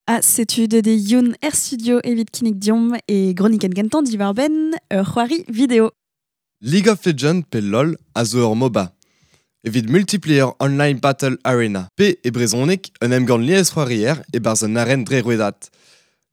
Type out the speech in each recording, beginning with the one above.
Ha setu deut eo Youn er studio evit kinnig deomp e gronikenn gentañ diwar-benn ur c'hoari video. League of Legends pe LOL a zo ur MOBA evit Multiplayer Online Battle Arena pe e brezhoneg un emgann liesc'hoarier e-barzh un aren dre rouedad.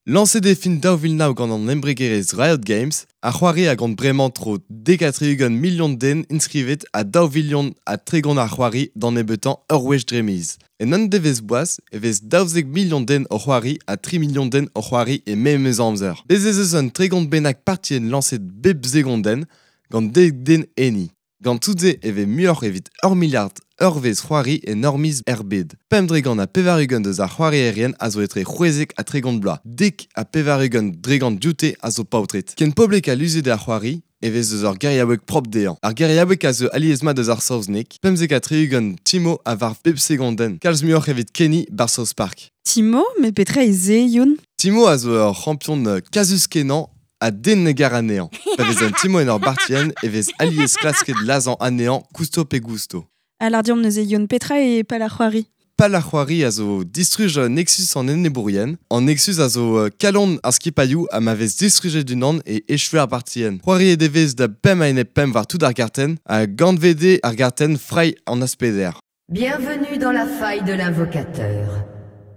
Lañset eo fin 2009 gant an embregerezh Riot Games, ar c'hoari a gont bremañ tro 70 milion den inskrivet ha 2 vilion ha 30 a c'hoari d'an nebeutañ ur wech dre miz. En un devezh boas e vez 12 milion den o c'hoari ha 3 milion den o c'hoari e memes amzer. Bez ez eus un 30 bennak partienn lañset bep segondenn gant dek den enni. Gant tout-se e vez muioc'h evit ur miliard eurvezh c'hoari en ur miz er bed. 95 deus ar c'hoarierien a zo etre 60 ha 30 bloaz. 90 dregant dioute a zo paotred. Ken poblek ha luziet eo ar c'hoari e vez eus ur geriaoueg propr dezhañ. Ar geriaoueg a zeu alies-mat eus ar saozneg. 75 Timo a varv bep segondenn. Kalz muioc'h evit Kenny 'barzh South Park. Timo, met petra eo se, Youn? Timo a zo ur c'hampion kazus-kenañ ha den ne gar anezhañ. Pa vez un Timo en ur bartienn e vez alies klasket lazhañ anezhañ kousto pe gousto. Ha lâr deomp neuze Youn, petra eo pal ar c'hoari? Pal ar c'hoari a zo distruj Nexus an enebourien. An Nexus a zo kalon ar skipailhoù ha ma vez distrujet unan e echu ar bartienn. C'hoariet e vez da pemp a-enep pemp war tout ar gartenn ha gant VD ar gartenn frailh an aspeder. Bienvenue dans la faille de l'invocateur.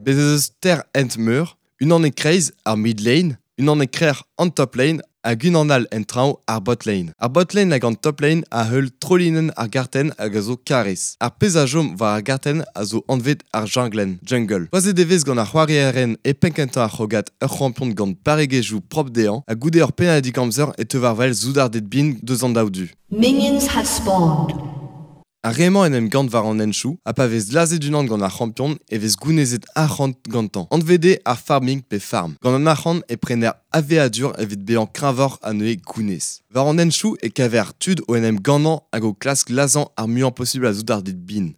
Bez ez eus teir hent meur, unan e-kreiz ar mid lane, unan e-krec'h an top lane hag unan all en traoñ ar bot lane. Ar bot lane hag an top lane a heul trolinenn ar gartenn hag a zo karrez. Ar pezh a chom war ar gartenn a zo anvet ar junglenn, jungle. Choazet e vez gant ar c'hoarierien e penn-kentañ ar c'hrogad ur c'hampion gant barregezhioù propr dezhañ ha goude ur pennadig amzer e teu war wel soudarded bihan deus an daou du. Minions have spawned. Ar re-mañ en em gann war an henchoù ha pa vez lazhet unan gant ar c'hampion e vez gounezet arc'hant gantañ. Anvet eo ar farming pe farm. Gant an arc'hant e prener aveadur evit bezañ kreñvoc'h ha neuze gounez. War an henchoù e kaver tud o en em gannañ hag o klask lazhañ ar muiañ posubl a soudarded bihan.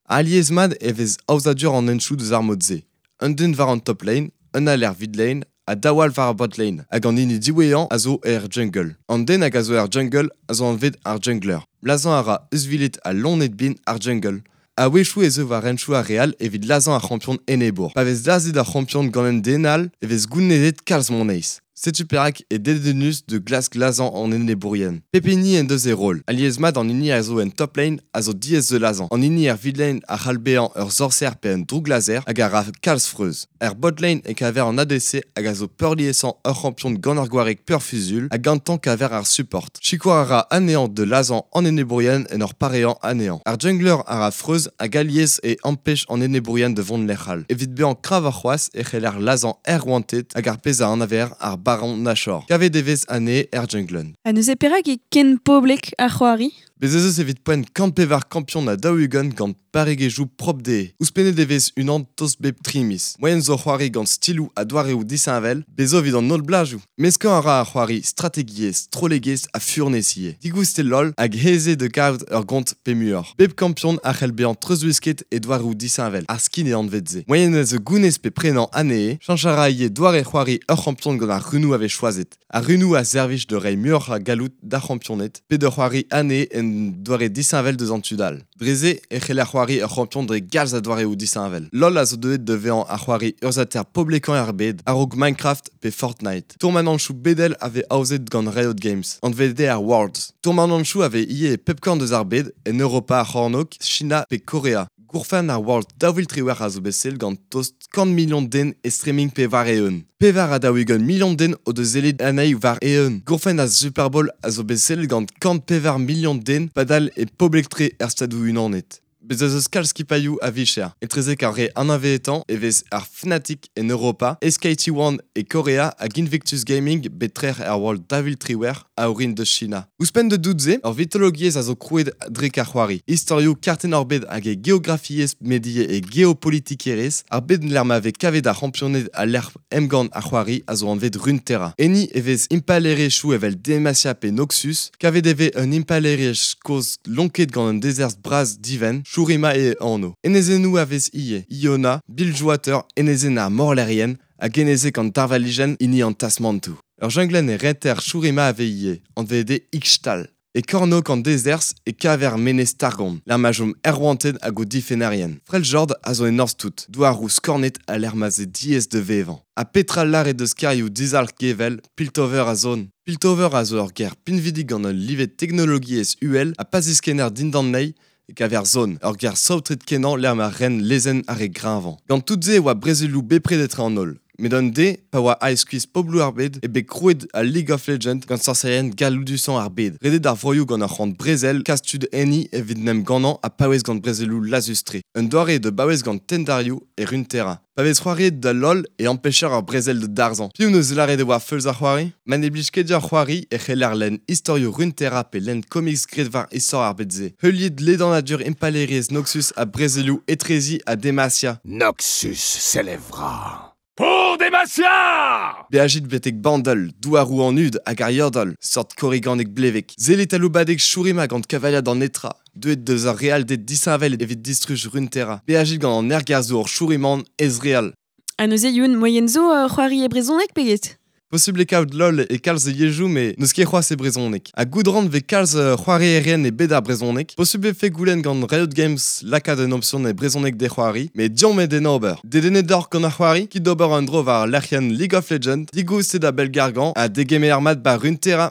Alies-mat e vez aozadur an henchoù deus ar mod-se. Un den war an top lane, un all er mid lane ha daou all war ar bot lane. Hag an hini diwezhañ a zo er jungle. An den hag a zo er jungle a zo anvet ar jungler. Lazhañ a ra euzhviled ha loened bihan ar jungle. A-wechoù ez eo war henchoù ar re all evit lazhañ ar c'hampion enebour. Pa vez lazhet ar c'hampion gant un den all e vez gounezet kalz moneiz. Setu perak eo dedennus da glask lazhañ an enebourien. Pep hini en deus e roll. Alies-mat an hini a zo en top lane a zo diaes da lazhañ. An hini er mid lane a c'hall bezañ ur sorser pe un drouglazher hag a ra kalz freuz. Er bot lane e kaver an ADC hag a zo peurliesañ ur c'hampion gant ur gwareg pe ur fuzuilh ha gantañ kaver ar support. Sikour a ra anezhañ da lazhañ an enebourien en ur pareañ anezhañ. Ar jungler a ra freuz hag alies e ampech an enebourien da vont lec'h all. Evit bezañ kreñvoc'h c'hoazh e c'heller lazhañ aerouanted hag ar pezh a anaver ar Baron Nashor. Kavet e vez anezhe er junglenn. Ha neuze perak eo ken poblek ar c'hoari? Bez ez eus evit poent 104 kampion ha 40 gant barregezhioù propr dezhe. Ouzhpennet e vez unan tost bep tri miz. Moaien zo c'hoari gant stiloù ha doareoù disheñvel, bez zo evit an holl blajoù. Meskañ a ra ar c'hoari strategiezh, strollegezh ha furnez ivez. Digoust eo LOL hag aes eo da gaout ur gont pe muioc'h. Bep kampion a c'hell bezañ treuzwisket e doareoù disheñvel, ar skin eo anvet se. Moaien a zo gounez pe prenañ anezhe, cheñch a ra ivez doare c'hoari ur c'hampion gant ar runoù a vez choazet. Ar runoù a servij da reiñ muioc'h a galloud d'ar c'hampioned pe da c'hoari anezhe en doare disheñvel deus an tud all. Dre-se e c'heller c'hoari ur c'hampion dre galz a doareoù disheñvel. LOL a zo deuet da vezañ ar c'hoari urzhiataer poblekañ er bed, a-raok Minecraft pe Fortnite. Tourmananchoù bedel a vez aozet gant Riot Games, anvet eo ar Worlds. Tourmananchoù a vez ivez e pep korn deus ar bed, en Europa ar C'hornôg, China pe Korea. Gourfenn ar World 2018 a zo bet sellet gant tost 100 milion den e streaming pe war-eeun. 44 milion den o deus sellet anezhi war-eeun. Gourfenn ar Super Bowl a zo bet sellet gant 104 milion den padal e poblek-tre er Stadoù-Unanet. Bez ez eus kalz skipailhoù a vicher. Etrezek ar re anavezetañ e vez ar Fnatic en Europa, SKT1 e Korea hag Invictus Gaming bet trec'h er World 2018 a orin deus China. Ouzhpenn da dout-se, ur vitologiezh a zo krouet dre ar c'hoari. Istorioù kartenn ar bed hag e geografiezh met ivez e geopolitikerezh, ar bed lec'h ma vez kavet ar c'hampioned ha lec'h emgann ar c'hoari a zo anvet Runeterra. Enni e vez impalaeriezhioù evel Demacia pe Noxus, kavet e vez un impalaeriezh kozh lonket gant un dezerzh bras divent, Shurima e anv. Enezennoù a vez ivez, Iona, Bilgewater, enezenn ar morlaerien hag enezeg an darvalijenn hini an tasmantoù. Ur junglenn e reter Shurima a vez ivez, anvet eo Ixtal. E kornôg an dezerzh e kaver menez Targon, lec'h ma chom aerouanted hag o difennerien. Freljord a zo en norzh tout, douaroù skornet ha lec'h ma 'z eo diaes da vevañ. Ha petra lâret deus kêrioù dizalc'h gevel, Piltover ha Zaun. Piltover a zo ur gêr pinvidik gant ul live teknologiezh uhel ha pa ziskenner dindan anezhi e kaver Zaun, ur gêr saotret-kenañ lec'h ma ren lezenn ar re greñvañ. Gant tout-se e oa brezelioù bepred etre an holl. Met un deiz, pa oa aet skuizh pobloù ar bed, eo bet krouet al League of Legends gant sorserien galloudusañ ar bed. Redet ar vroioù gant ur c'hoant brezel, kas tud enni evit 'n em gannañ ha paouez gant brezelioù lazhus-tre. Un doare eo da baouez gant tendarioù e Runeterra. Pa vez c'hoariet da LOL e ampecher ur brezel da darzhañ. Piv 'neus lâret e oa feuls ar c'hoari? Ma ne blij ket deoc'h c'hoari e c'heller lenn istorioù Runeterra pe lenn comics graet war istor ar bed-se. Heuliit ledanadur impalaeriezh Noxus ha brezelioù etrezi ha Demacia. Noxus s'élèvera. Pour Demacia! Beajit betek Bandle, douaroù an hud hag ar Yordle, seurt korriganeg blevek. Sellit aloubadeg Shurima gant kavaliad an netra, deuet deus ur realded disheñvel evit distruj Runeterra. Beajit gant an ergerzhour Shuriman ez-real. Ha neuze Youn, moaien zo c'hoari e brezhoneg pe get? Posubl eo kaout LOL e kalz yezhoù met n'eus ket c'hoazh e brezhoneg. Ha goût 'ran 'vez kalz c'hoarierien e bed ar brezhoneg. Posubl 'vefe goulenn gant Riot Games lakaat un opsion e brezhoneg d'e c'hoari, met deomp eo d'en ober. Dedennet oc'h gant ar c'hoari? Kit d'ober un dro war lec'hienn League of Legends, digoust eo da bellgargañ ha degemer mat 'ba Runeterra.